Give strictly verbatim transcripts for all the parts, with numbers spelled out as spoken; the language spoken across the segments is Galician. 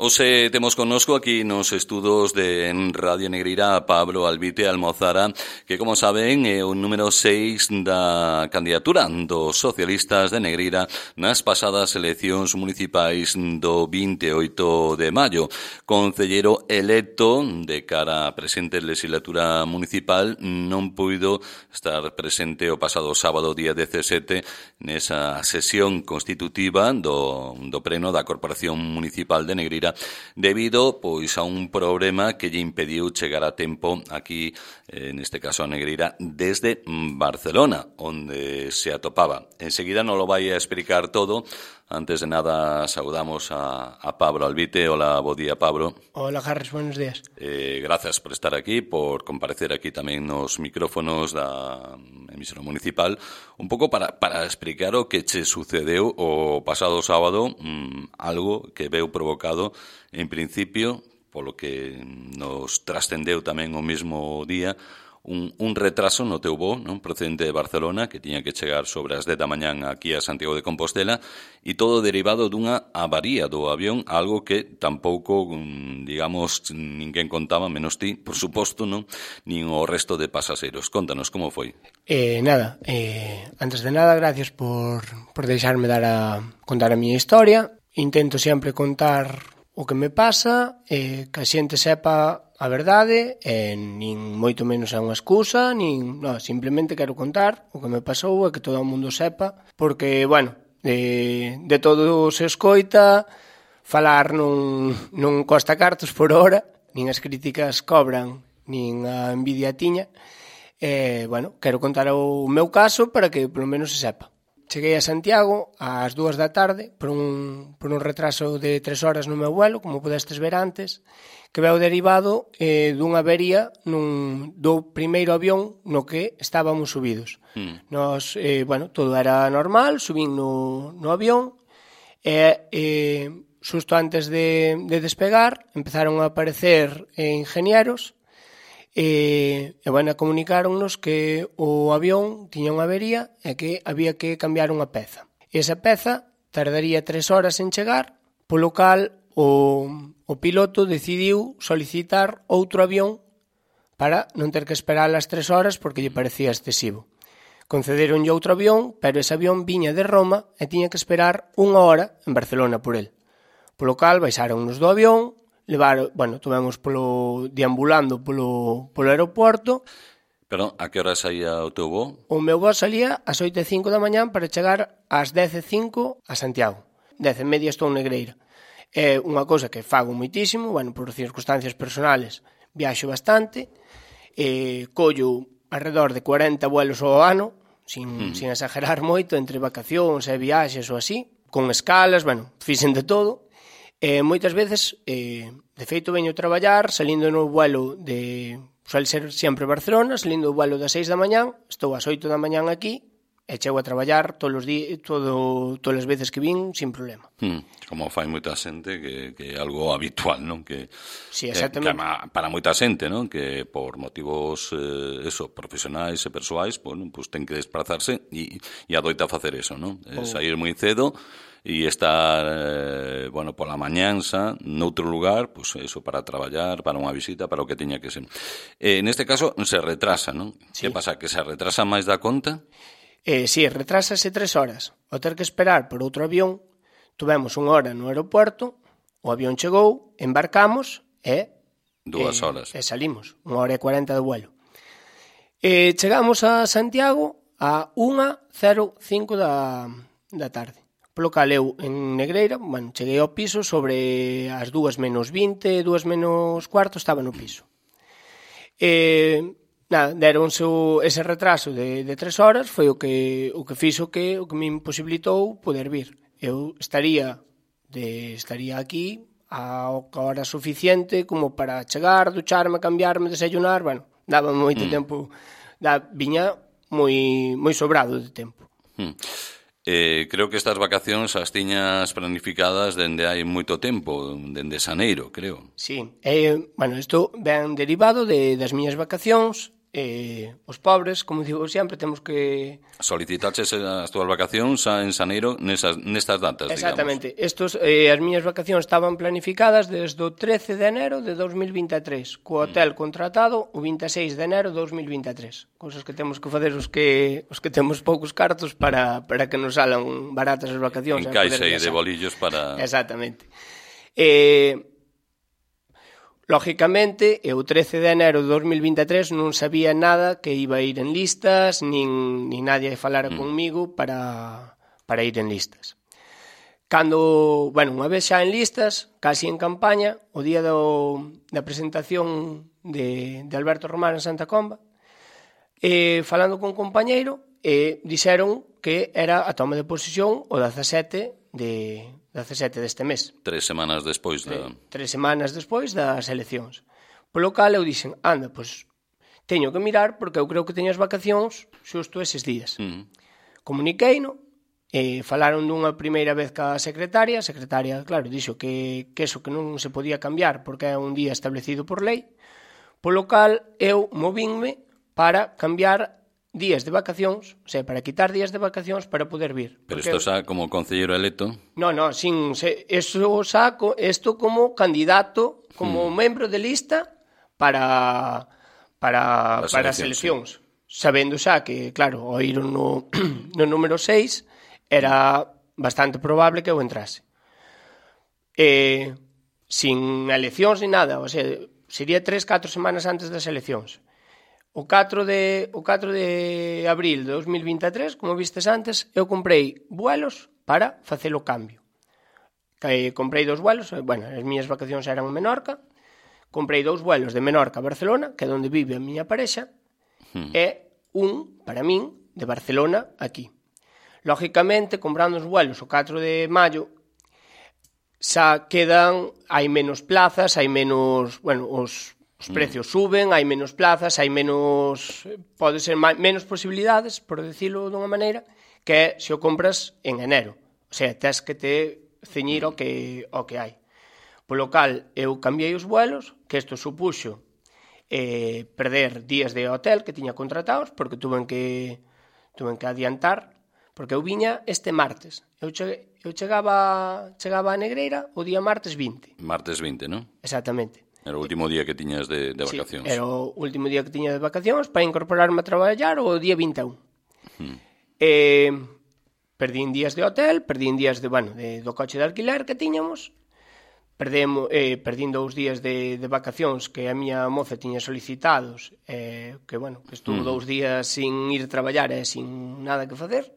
Hoxe temos connosco aquí nos estudos de Radio Negreira a Pablo Albite Almozara, que, como saben, é o número seis da candidatura dos socialistas de Negreira nas pasadas eleccións municipais do vinte e oito de maio. Concellero electo de cara á presente legislatura municipal, non puido estar presente o pasado sábado, día dezasete, nesa sesión constitutiva do, do Pleno da Corporación Municipal de Negreira, debido pois a un problema que lle impediu chegar a tempo aquí, eh, neste caso a Negreira, desde Barcelona, onde se atopaba. Enseguida non lo vai a explicar todo. Antes de nada, saudamos a, a Pablo Albite. Hola, bo día, Pablo. Hola, Carlos, buenos días. Eh, gracias por estar aquí, por comparecer aquí tamén nos micrófonos da emisora municipal, un pouco para, para explicar o que che sucedeu o pasado sábado, mmm, algo que veu provocado, en principio, polo que nos trascendeu tamén o mesmo día, Un, un retraso no teu voo, non, procedente de Barcelona, que tiña que chegar sobre as dez da mañán aquí a Santiago de Compostela, e todo derivado dunha avaría do avión, algo que tampouco, digamos, ninguén contaba, menos ti, por suposto, non, nin o resto de pasaxeiros. Contanos, como foi? Eh, nada, eh, antes de nada, gracias por, por deixarme dar a, contar a miña historia. Intento sempre contar o que me pasa, eh, que a xente sepa a verdade, eh, nin moito menos é unha excusa, nin, no, simplemente quero contar o que me pasou e que todo o mundo sepa, porque, bueno, de, de todo se escoita, falar non, non costa cartos por hora, nin as críticas cobran, nin a envidia tiña, e, eh, bueno, quero contar o meu caso para que polo menos se sepa. Cheguei a Santiago ás dúas da tarde por un, por un retraso de tres horas no meu vuelo, como podestes ver antes, que veu derivado eh, dunha avería nun, do primeiro avión no que estábamos subidos. Mm. Nos, eh, bueno, todo era normal, subín no, no avión e eh, xusto antes de, de despegar empezaron a aparecer eh, ingenieros e, e bueno, comunicáronnos que o avión tiña unha avería e que había que cambiar unha peza. E esa peza tardaría tres horas en chegar, polo cal o, o piloto decidiu solicitar outro avión para non ter que esperar as tres horas porque lle parecía excesivo. Concederonlle outro avión, pero ese avión viña de Roma e tiña que esperar unha hora en Barcelona por el. Polo cal baixáronnos do avión, levar, bueno, tuvemos polo deambulando polo, polo aeroporto. Pero a que hora saía o teu voo? O meu voo salía ás oito e cinco da mañán para chegar ás dez e cinco a Santiago. Dez e media estou en Negreira. É unha cousa que fago moitísimo, bueno, por circunstancias personales viaxo bastante, eh, collo alrededor de cuarenta vuelos ao ano, sin, mm. sin exagerar moito, entre vacacións e viaxes ou así, con escalas, bueno, fixen de todo. E moitas veces, eh, de feito, veño a traballar salindo no vuelo de, suele ser sempre Barcelona, salindo o vuelo das seis da mañán, estou ás oito da mañán aquí, e chego a traballar todos os días, todo, todas as veces que vin, sin problema. Hmm, como fai moita xente, que, que é algo habitual, non? Que, sí, exactamente. Que, para moita xente, non? Que por motivos eh, eso, profesionais e persoais, bueno, pues ten que desplazarse e, e adoita facer eso, non? Oh. Sair moi cedo e estar, eh, bueno, pola mañanza noutro lugar, pues eso, para traballar, para unha visita, para o que teña que ser. Eh, neste caso, se retrasa, non? Sí. Que pasa? Que se retrasa máis da conta? Eh, si, sí, retrásase tres horas. Ao ter que esperar por outro avión, tuvemos unha hora no aeroporto, o avión chegou, embarcamos e... Dúas eh, horas. E salimos, unha hora e cuarenta de vuelo. E chegamos a Santiago a unha cero cinco da, da tarde. Polo cal eu en Negreira, bueno, cheguei ao piso sobre as dúas menos vinte, dúas menos cuarto, estaba no piso. E... Nada, deronse ese retraso de, de tres horas, foi o que o que fixo que o que me imposibilitou poder vir. Eu estaría de estaría aquí a hora suficiente como para chegar, ducharme, cambiarme, desayunar, bueno, daba moito mm. tempo, da, viña moi moi sobrado de tempo. Mm. Eh, creo que estas vacacións as tiñas planificadas dende hai moito tempo, dende xaneiro, creo. Sí, eh, bueno, isto ven derivado de, das miñas vacacións. eh, os pobres, como digo sempre, temos que... Solicitaches as túas vacacións en Xaneiro nesas, nestas datas, Exactamente. digamos. Estos, eh, as miñas vacacións estaban planificadas desde o trece de enero de dos mil vinte e tres, co hotel contratado o vinte e seis de enero de dos mil vinte e tres. Cousas que temos que facer os que os que temos poucos cartos para, para que nos salan baratas as vacacións. En caixa e de bolillos para... Exactamente. Eh... Lógicamente, eu o trece de enero de dos mil vinte e tres non sabía nada que iba a ir en listas, nin, nin nadie falara mm. conmigo para, para ir en listas. Cando, bueno, unha vez xa en listas, casi en campaña, o día do, da presentación de, de Alberto Román en Santa Comba, eh, falando con un compañeiro, eh, dixeron que era a toma de posesión o dezasete de... dezasete deste mes. Tres semanas despois da... Tres semanas despois das eleccións. Polo cal eu dixen, anda, pois teño que mirar porque eu creo que teño as vacacións xusto eses días. Mm. Comuniqueino, e falaron dunha primeira vez ca secretaria, a secretaria, claro, dixo que, que eso que non se podía cambiar porque é un día establecido por lei, polo cal eu movínme para cambiar días de vacacións, o sea, para quitar días de vacacións para poder vir. Pero isto xa como concelleiro electo? No, no, sin, se, eso saco, isto como candidato, como hmm. membro de lista para para, as para as eleccións. Sí. Sabendo xa que, claro, ao ir no, no número seis era bastante probable que eu entrase. Eh, sin eleccións ni nada, o sea, sería tres, catro semanas antes das eleccións. O catro de, o catro de abril de dos mil vinte e tres, como vistes antes, eu comprei vuelos para facer o cambio. Que comprei dous vuelos, bueno, as miñas vacacións eran en Menorca, comprei dous vuelos de Menorca a Barcelona, que é onde vive a miña parexa, hmm. e un, para min, de Barcelona aquí. Lógicamente, comprando os vuelos o catro de maio, xa quedan, hai menos plazas, hai menos, bueno, os... Os precios suben, hai menos plazas, hai menos, pode ser máis, menos posibilidades, por decirlo dunha maneira, que é se o compras en enero. O sea, tes que te ceñir ao que, ao que hai. Polo cal, eu cambiei os vuelos, que isto supuxo eh, perder días de hotel que tiña contratados, porque tuven que, tuven que adiantar, porque eu viña este martes. Eu, che, eu chegaba, chegaba a Negreira o día martes vinte. Martes vinte, non? Exactamente. Era o último día que tiñas de, de vacacións. Sí, era o último día que tiña de vacacións para incorporarme a traballar o día vinte e un. Hmm. Eh, perdín días de hotel, perdín días de, bueno, de, do coche de alquiler que tiñamos, perdemos, eh, perdín dous días de, de vacacións que a miña moza tiña solicitados, eh, que, bueno, que estuvo hmm. dous días sin ir a traballar e eh, sin nada que facer,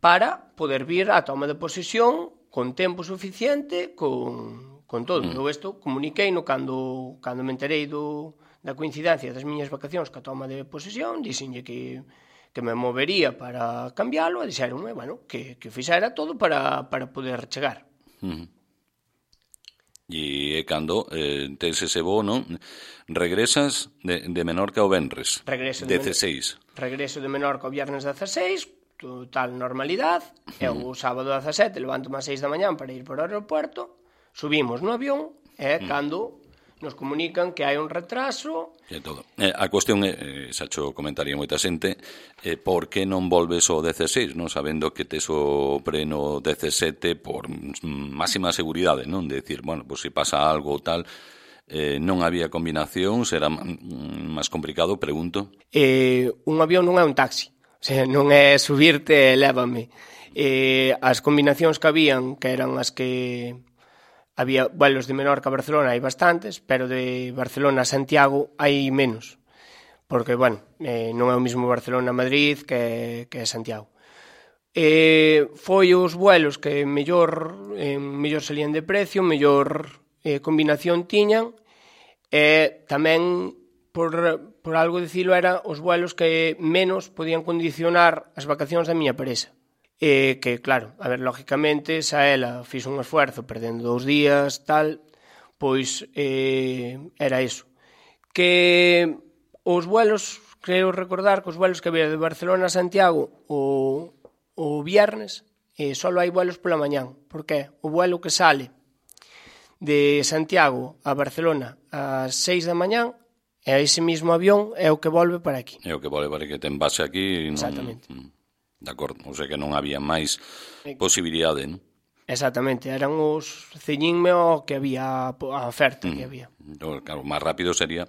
para poder vir á toma de posesión con tempo suficiente, con... con todo. Mm. Eu isto comuniqueino cando, cando me enterei do, da coincidencia das miñas vacacións ca toma de posesión, dixenlle que, que me movería para cambiálo e dixeronme, bueno, que, que fixera todo para, para poder chegar. Mm. E cando eh, tes ese bono, regresas de, de Menorca ao Venres, regreso de dezasseis. Regreso de Menorca ao Viernes dezasseis, total normalidade, mm. e o sábado dezasete levanto ás seis da mañán para ir para o aeropuerto, subimos no avión e mm. cando nos comunican que hai un retraso. E todo. Eh, a cuestión é, eh, xa xo comentaría moita xente, eh, por que non volves ao dezasseis, non? Sabendo que tes o preno dezasete por máxima seguridade, non? De decir, bueno, pues se pasa algo ou tal, eh, non había combinación, será máis complicado, pregunto. Eh, un avión non é un taxi, o sea, non é subirte e lévame. Eh, as combinacións que habían, que eran as que... Había vuelos de Menorca a Barcelona, hai bastantes, pero de Barcelona a Santiago hai menos. Porque, bueno, eh, non é o mismo Barcelona-Madrid que, que Santiago. Eh, foi os vuelos que mellor, eh, mellor salían de precio, mellor eh, combinación tiñan, e tamén, por, por algo dicilo, era os vuelos que menos podían condicionar as vacacións da miña parexa. Eh, que, claro, a ver, lógicamente, xa ela fixo un esfuerzo perdendo dous días, tal, pois eh, era iso. Que os vuelos, creo recordar que os vuelos que había de Barcelona a Santiago o, o viernes, eh, só hai vuelos pola mañán. Por que? O vuelo que sale de Santiago a Barcelona ás seis da mañán e ese mismo avión é o que volve para aquí. É o que volve para que ten base aquí. Non... Exactamente. De acordo, o sea que non había máis posibilidade, non? Exactamente, eran os ceñinme o que había, a oferta que había. Mm. Claro, máis rápido sería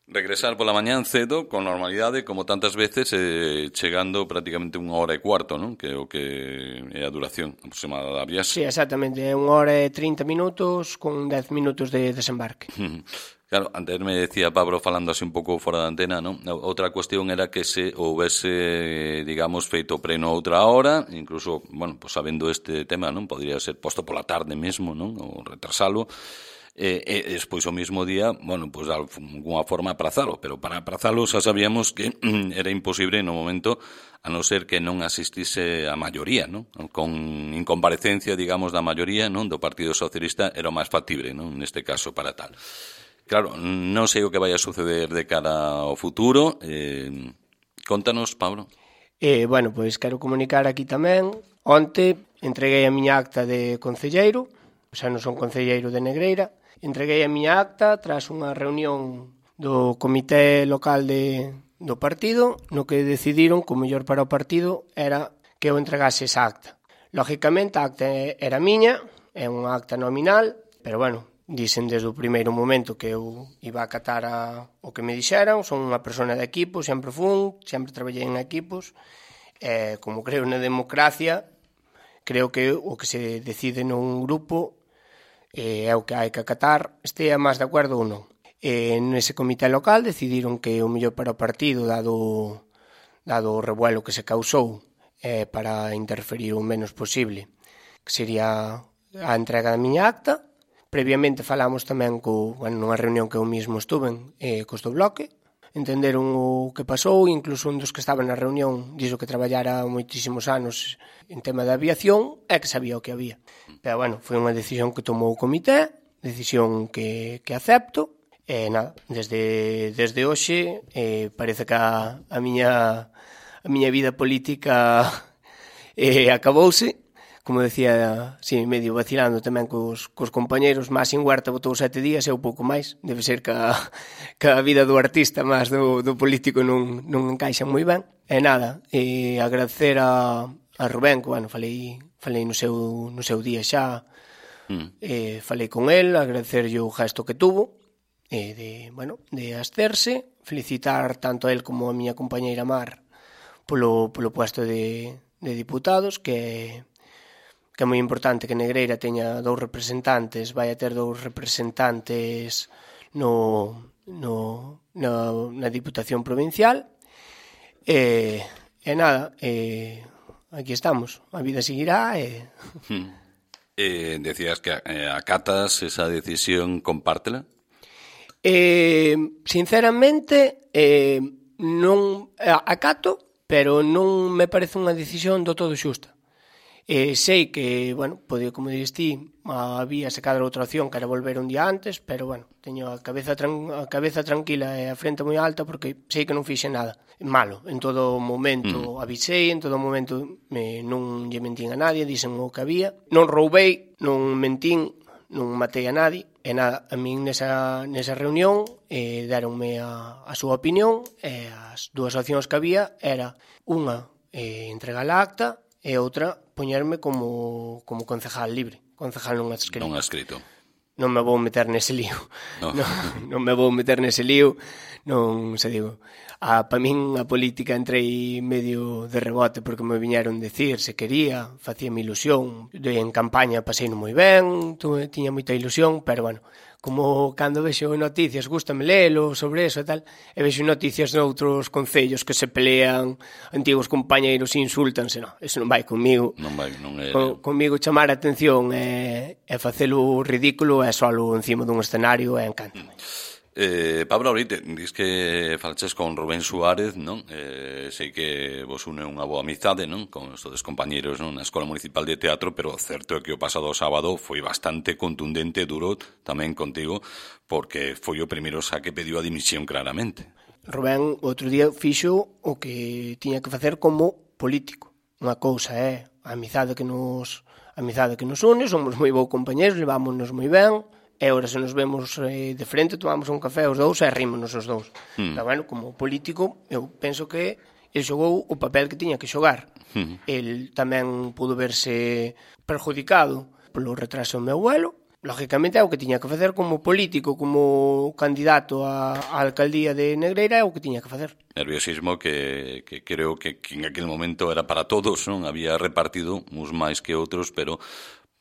regresar pola mañán cedo, con normalidade, como tantas veces, eh, chegando prácticamente unha hora e cuarto, non? Que é o que é a duración aproximada da viaxe. Sí, exactamente, unha hora e trinta minutos con dez minutos de desembarque. Claro, antes me decía Pablo, falando así un pouco fora da antena, non? Outra cuestión era que se houvese, digamos, feito preno outra hora, incluso, bueno, pues sabendo este tema, non? Podría ser posto pola tarde mesmo, non? Ou retrasalo. E, e despois o mismo día, bueno, pues de alguna forma aprazalo, pero para aprazalo xa sabíamos que era imposible no momento, a non ser que non asistise a maioría, non? Con incomparecencia, digamos, da maioría, non? Do Partido Socialista era o máis factible, non? Neste caso, para tal. Claro, non sei o que vai a suceder de cara ao futuro. Eh, contanos, Pablo. Eh, bueno, pois quero comunicar aquí tamén. Onte entreguei a miña acta de concelleiro, xa non son concelleiro de Negreira. Entreguei a miña acta tras unha reunión do comité local de, do partido, no que decidiron que o mellor para o partido era que eu entregase esa acta. Lógicamente, a acta era miña, é unha acta nominal, pero bueno, dicen desde o primeiro momento que eu iba a acatar a, o que me dixeran. Son unha persona de equipo, sempre fun, sempre traballei en equipos. Eh, como creo na democracia, creo que o que se decide nun grupo eh, é o que hai que acatar, estea máis de acordo ou non. Eh, nese comité local decidiron que o mellor para o partido, dado, dado o revuelo que se causou, eh, para interferir o menos posible, que sería a entrega da miña acta. Previamente falamos tamén co, bueno, nunha reunión que eu mesmo estuve eh, cos do bloque, entenderon o que pasou, incluso un dos que estaba na reunión dixo que traballara moitísimos anos en tema de aviación e que sabía o que había. Pero bueno, foi unha decisión que tomou o comité, decisión que, que acepto, e nada, desde, desde hoxe eh, parece que a, a, miña, a miña vida política eh, acabouse. Como decía, sí, medio vacilando tamén cos, cos compañeros, Máxim Huerta botou sete días e eu pouco máis. Debe ser que a, que a vida do artista máis do, do político non, non encaixa moi ben. E nada, e agradecer a, a Rubén, que, bueno, falei, falei no, seu, no seu día xa, mm. e falei con el, agradecerlle o gesto que tuvo, e de, bueno, de ascerse, felicitar tanto a el como a miña compañeira Mar polo, polo puesto de, de diputados, que que é moi importante que Negreira teña dous representantes, vai a ter dous representantes no, no, na, na Diputación Provincial. E, e nada, e, aquí estamos, a vida seguirá. E... Hmm. Eh, decías que eh, acatas esa decisión, compártela? Eh, sinceramente, eh, non acato, pero non me parece unha decisión do todo xusta. Eh, sei que, bueno, pode, como dices ti, había se cadra outra opción que era volver un día antes, pero, bueno, teño a cabeza, tran a cabeza tranquila e a frente moi alta porque sei que non fixe nada malo. En todo momento mm. avisei, en todo momento me, non lle mentín a nadie, dixen o que había. Non roubei, non mentín, non matei a nadie. E nada, a min nesa, nesa reunión eh, deronme a, a súa opinión e as dúas opcións que había era unha, eh, entregar a acta, e outra, poñerme como, como concejal libre, concejal non adscrito. Non adscrito. Non me vou meter nese lío. No. non, non me vou meter nese lío. Non, se digo, a, pa min a política entrei medio de rebote porque me viñeron decir se quería, facíame ilusión. De, en campaña paseino moi ben, tu, tiña moita ilusión, pero bueno, como cando vexo noticias, gústame lelo sobre eso e tal, e vexo noticias de outros concellos que se pelean, antigos compañeiros insultanse, non, eso non vai comigo. Non vai, non é... Con, comigo chamar a atención e, e facelo ridículo e solo encima dun escenario e encántame. Eh, Pablo, ahorita dis que falaches con Rubén Suárez, non? Eh, sei que vos une unha boa amizade, non? Con os todos compañeros, non? Na Escola Municipal de Teatro, pero certo é que o pasado sábado foi bastante contundente e duro tamén contigo, porque foi o primeiro xa que pediu a dimisión claramente. Rubén outro día fixo o que tiña que facer como político. Unha cousa é a amizade que nos, a amizade que nos une, somos moi bons compañeros, levámonos moi ben, e ahora se nos vemos eh, de frente, tomamos un café os dous e rímonos os dous. Mm. Pero, bueno, como político, eu penso que el xogou o papel que tiña que xogar. Mm. El tamén pudo verse perjudicado polo retraso do meu vuelo. Lógicamente é o que tiña que facer como político, como candidato á alcaldía de Negreira, é o que tiña que facer. Nerviosismo que, que creo que, que en aquel momento era para todos, non? Había repartido uns máis que outros, pero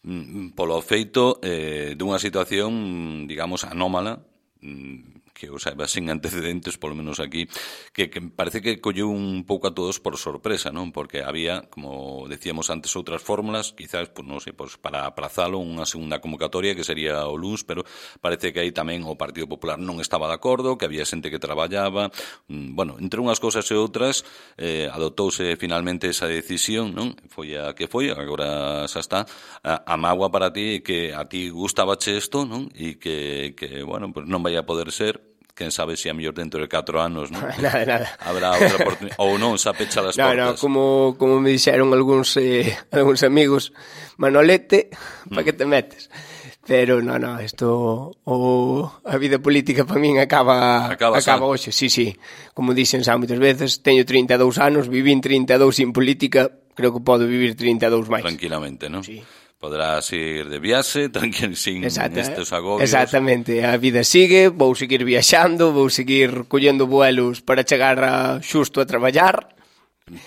mm, polo feito eh, dunha situación, digamos, anómala, mm, que o saiba sin antecedentes, polo menos aquí, que, que parece que colleu un pouco a todos por sorpresa, non? Porque había, como decíamos antes, outras fórmulas, quizás, pues, non sei, pues, para aprazalo unha segunda convocatoria, que sería o L U S, pero parece que aí tamén o Partido Popular non estaba de acordo, que había xente que traballaba, bueno, entre unhas cousas e outras, eh, adoptouse finalmente esa decisión, non? Foi a que foi, agora xa está, a, a mágoa para ti, que a ti gustabache isto, non? E que, que, bueno, pues non vai a poder ser, quen sabe se a mellor dentro de catro anos, non? Nada, nada. Habrá outra oportunidade, ou non, xa pecha as no, portas. No, como, como me dixeron algúns, eh, algúns amigos, Manolete, mm. pa que te metes? Pero, no, no, isto, o, a vida política para min acaba, acaba, acaba hoxe, sí, sí. Como dixen xa moitas veces, teño trinta e dous anos, vivín trinta e dous sin política, creo que podo vivir trinta e dous máis. Tranquilamente, non? Sí. Podrás ir de viaxe, tranquilo, sin Exacto, estes agobios. Exactamente, a vida sigue, vou seguir viaxando, vou seguir collendo vuelos para chegar a, xusto a traballar.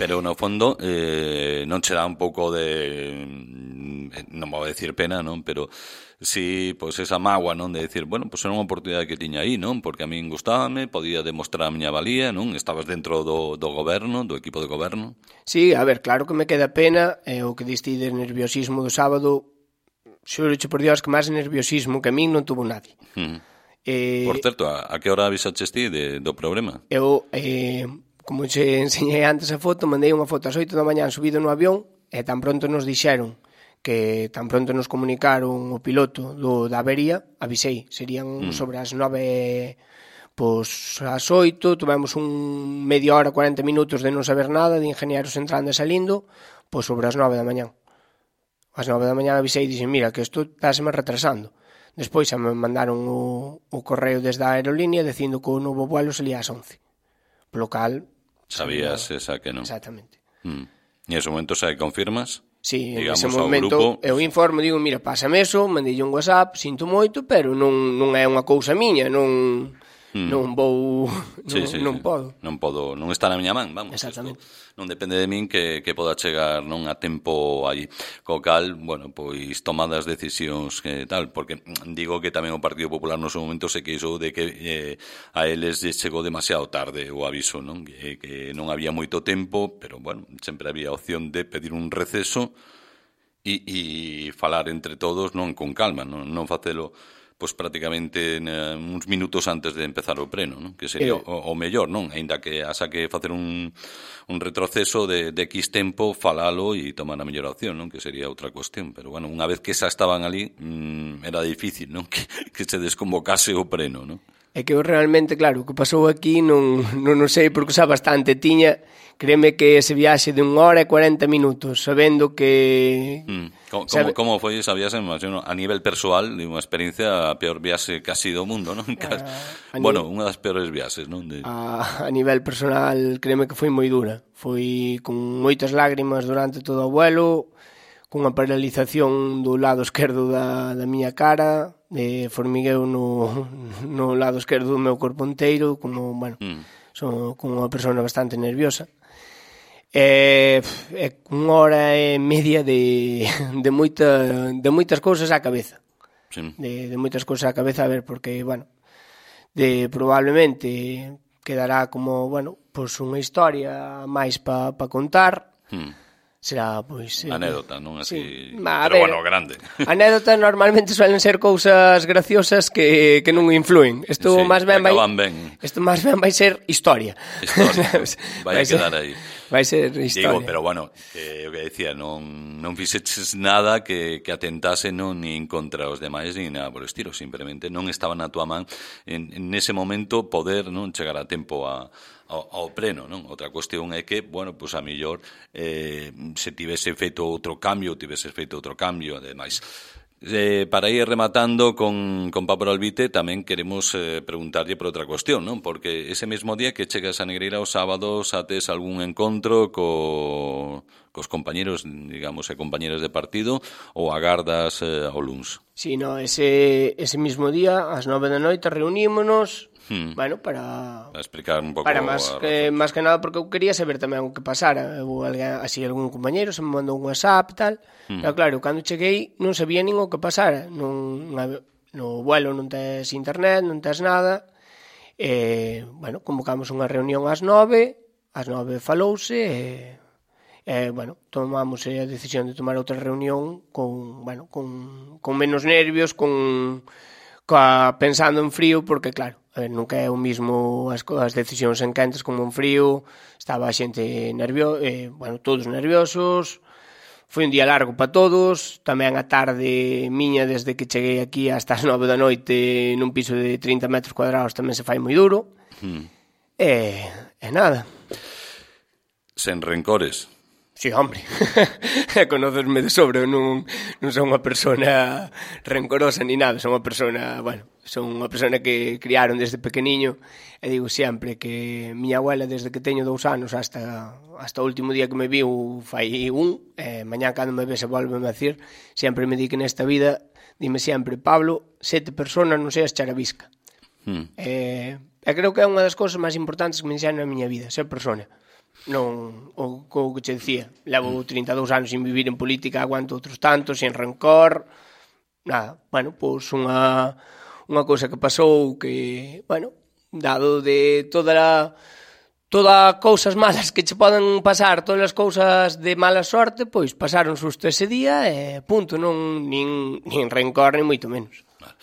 Pero, no fondo, eh, non che dá un pouco de, non vou decir pena, non? Pero si, pois, esa mágoa, non? De decir, bueno, pois era unha oportunidade que tiña aí, non? Porque a min gustábame, podía demostrar a miña valía, non? Estabas dentro do, do goberno, do equipo de goberno. Sí, a ver, claro que me queda pena, eh, o que diste de nerviosismo do sábado, xuro por Dios que máis nerviosismo que a min non tuvo nadie. Mm. Eh, por certo, a, a que hora avisaches ti de, do problema? Eu, eh, como xe enseñei antes a foto, mandei unha foto ás oito da mañán subido no avión, e tan pronto nos dixeron que tan pronto nos comunicaron o piloto do, da avería, avisei, serían mm. sobre as nove, pois as oito, tivemos un media hora, cuarenta minutos de non saber nada, de ingenieros entrando e salindo, pois sobre as nove da mañán. As nove da mañán avisei e dixen, mira, que isto estáseme retrasando. Despois xa me mandaron o, o correo desde a aerolínea dicindo que o novo vuelo salía ás once. Polo cal... Sabías sabía, esa que non. Exactamente. Mm. E en ese momento xa confirmas? Sí, en ese momento grupo... eu informo, digo, mira, pásame eso, mandei un WhatsApp, sinto moito, pero non, non é unha cousa miña, non... Mm. Non vou, non, sí, sí, non sí. podo. Non podo, non está na miña man, vamos. Exactamente. Isto non depende de min que, que poda chegar non a tempo aí. Co cal, bueno, pois tomadas decisións que tal, porque digo que tamén o Partido Popular no seu momento se queixou de que eh, a eles chegou demasiado tarde o aviso, non? Que, que non había moito tempo, pero bueno, sempre había opción de pedir un receso e, e falar entre todos, non con calma, non, non facelo pois prácticamente uh, uns minutos antes de empezar o pleno, non? Que sería eh, o, o mellor, non? Ainda que asa que facer un, un retroceso de, de X tempo, falalo e tomar a mellor opción, non? Que sería outra cuestión. Pero, bueno, unha vez que xa estaban ali, mmm, era difícil, non? Que, que se desconvocase o pleno, non? É que eu realmente, claro, o que pasou aquí non, non, non sei porque xa bastante tiña, créeme que ese viaxe de unha hora e cuarenta minutos, sabendo que... Mm. Como, sabe... como foi esa viaxe, a nivel persoal, de unha experiencia, a peor viaxe casi do mundo, non? Ah, bueno, nivel... unha das peores viaxes, non? De... A, a nivel personal, créeme que foi moi dura. Foi con moitas lágrimas durante todo o vuelo, cunha paralización do lado esquerdo da, da miña cara, de formigueo no, no lado esquerdo do meu corpo inteiro, como, bueno, mm. son como unha persona bastante nerviosa. É, é unha hora e media de, de, moita, de moitas cousas á cabeza. Sí. De, de moitas cousas á cabeza, a ver, porque, bueno, de probablemente quedará como, bueno, pois pues unha historia máis para pa contar. Mm. Será, pois... Eh, anécdota, non así... Sí. Ma, pero, ver, bueno, grande. Anécdota normalmente suelen ser cousas graciosas que, que non influen. Isto sí, máis ben vai... ben. Isto máis ben vai ser historia. Historia. vai, vai a quedar ser, aí. Vai ser historia. Digo, pero, bueno, que, o que decía, non, non fixeches nada que, que atentase non nin contra os demais, nin nada por estilo. Simplemente non estaba na túa man en, en ese momento poder non chegar a tempo a... Ao, ao pleno, non? Outra cuestión é que, bueno, pois a mellor eh, se tivese feito outro cambio, tivese feito outro cambio, ademais, Eh, para ir rematando con, con Pablo Albite, tamén queremos eh, preguntarlle por outra cuestión, non? Porque ese mesmo día que chegas a Negreira os sábados ates algún encontro co, cos compañeros, digamos, e compañeras de partido ou agardas eh, ao luns? Si, no, ese, ese mismo día, ás nove da noite, reunímonos, hmm. bueno, para... Para explicar un pouco... Para máis que, máis que nada, porque eu quería saber tamén o que pasara. Eu, así, algún compañero se me mandou un WhatsApp e tal, hmm. pero claro, cando cheguei non sabía nin o que pasara. Non, no vuelo non tes internet, non tes nada. E, bueno, convocamos unha reunión ás nove, ás nove falouse e... Eh, bueno, tomamos a decisión de tomar outra reunión con, bueno, con, con menos nervios, con, coa, pensando en frío, porque claro, a ver, nunca é o mismo as, as decisións en quentes como en frío, estaba a xente nerviosa, eh, bueno, todos nerviosos, foi un día largo para todos, tamén a tarde miña desde que cheguei aquí hasta as nove da noite nun piso de trinta metros cuadrados tamén se fai moi duro, hmm. e, e nada. Sen rencores. Si, sí, hombre, conócesme de sobre, non, non son unha persona rencorosa ni nada, son unha persona, bueno, son unha persona que criaron desde pequeniño, e digo sempre que miña abuela desde que teño dous anos hasta, hasta o último día que me viu fai un, e mañá cando me vese volveme a decir, sempre me di que nesta vida, dime sempre, Pablo, sete personas non seas charavisca. Hmm. E, e creo que é unha das cousas máis importantes que me enxenan na miña vida, ser persona. Non, o, o que che dicía, levo trinta e dous anos sin vivir en política, aguanto outros tantos, sin rencor, nada, bueno, pois unha, unha cousa que pasou que, bueno, dado de toda a, todas cousas malas que che poden pasar, todas as cousas de mala sorte, pois pasaron susto ese día e punto, non, nin, nin rencor, nin moito menos. Vale.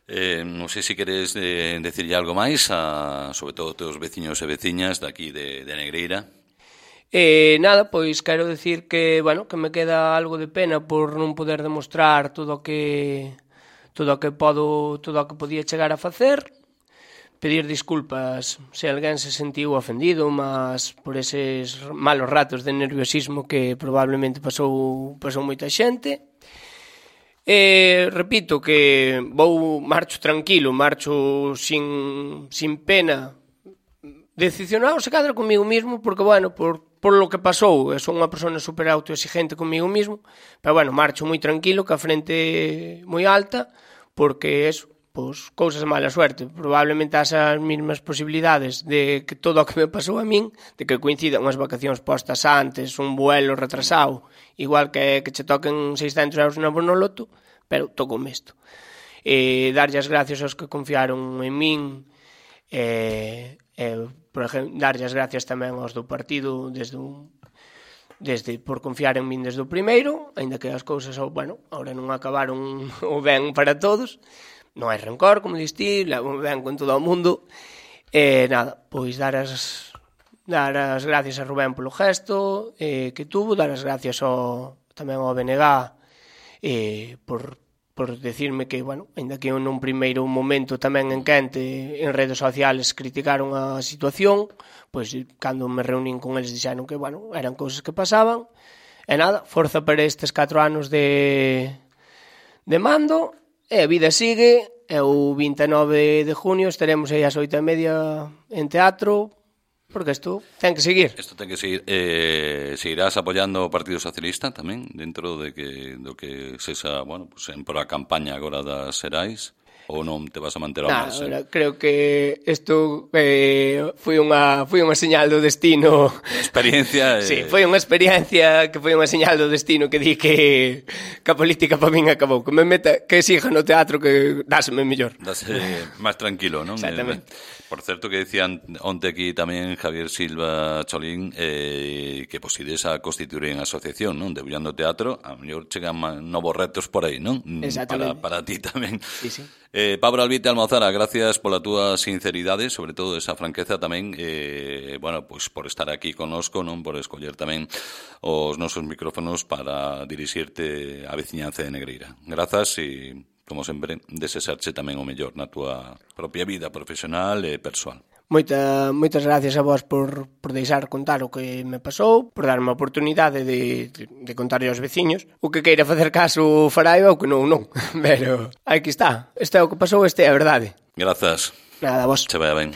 Eh, non sei se queres eh, decirlle algo máis a, sobre todo, teus veciños e veciñas daqui de, de Negreira. Eh, nada, pois quero decir que, bueno, que me queda algo de pena por non poder demostrar todo o que todo o que podo, todo o que podía chegar a facer. Pedir disculpas se alguén se sentiu ofendido, mas por eses malos ratos de nerviosismo que probablemente pasou pasou moita xente. Eh, repito que vou marcho tranquilo, marcho sin, sin pena, decepcionado se cadra comigo mismo, porque, bueno, por, por lo que pasou, son unha persona super autoexigente comigo mismo, pero, bueno, marcho moi tranquilo, que a frente moi alta, porque eso, pois, cousas de mala suerte, probablemente as as mesmas posibilidades de que todo o que me pasou a min, de que coincidan unhas vacacións postas antes, un vuelo retrasado, igual que que che toquen seiscentos euros na Bonoloto, pero tocoume isto. Eh, darlle as gracias aos que confiaron en min, eh, eh, por exemplo, darlle as gracias tamén aos do partido desde un, desde por confiar en min desde o primeiro, aínda que as cousas, bueno, ahora non acabaron o ben para todos, non hai rencor, como diste, levo ben con todo o mundo, e eh, nada, pois dar as dar as gracias a Rubén polo gesto eh, que tuvo, dar as gracias ao, tamén ao B N G eh, por, por decirme que, bueno, ainda que nun primeiro momento tamén en quente en redes sociales criticaron a situación, pois cando me reunín con eles dixeron que, bueno, eran cousas que pasaban, e nada, forza para estes catro anos de, de mando, e a vida sigue, e o vinte e nove de junio estaremos aí ás oito e media en teatro, porque isto ten que seguir. Isto ten que seguir. Eh, seguirás apoiando o Partido Socialista tamén, dentro de que do que sexa, bueno, pues en por a campaña agora das Xerais, ou non te vas a manter ao nah, marxen? Creo que isto eh, foi unha foi unha señal do destino. Experiencia. Eh... Sí, foi unha experiencia que foi unha señal do destino que di que, que a política para min acabou, que me meta, que siga no teatro, que dáseme mellor. Dase máis tranquilo, non? Exactamente. Por certo, que decían onte aquí tamén Javier Silva Cholín eh, que posides a constituir en asociación, non? Debullando teatro, a mellor chegan novos retos por aí, non? Exactamente. Para, para ti tamén. Sí, sí. Eh, Pablo Albite Almozara, gracias pola túa sinceridade, sobre todo esa franqueza tamén, eh, bueno, pois por estar aquí conosco, non? Por escoller tamén os nosos micrófonos para dirixirte á veciñanza de Negreira. Grazas e, como sempre, desexarche tamén o mellor na túa propia vida profesional e persoal. Moita, moitas gracias a vos por, por deixar contar o que me pasou, por darme a oportunidade de, de, de contarlle aos veciños. O que queira facer caso fará eu, o que non, non. Pero aquí está. Este é o que pasou, este é a verdade. Grazas. Nada, a vos. Se vaya ben.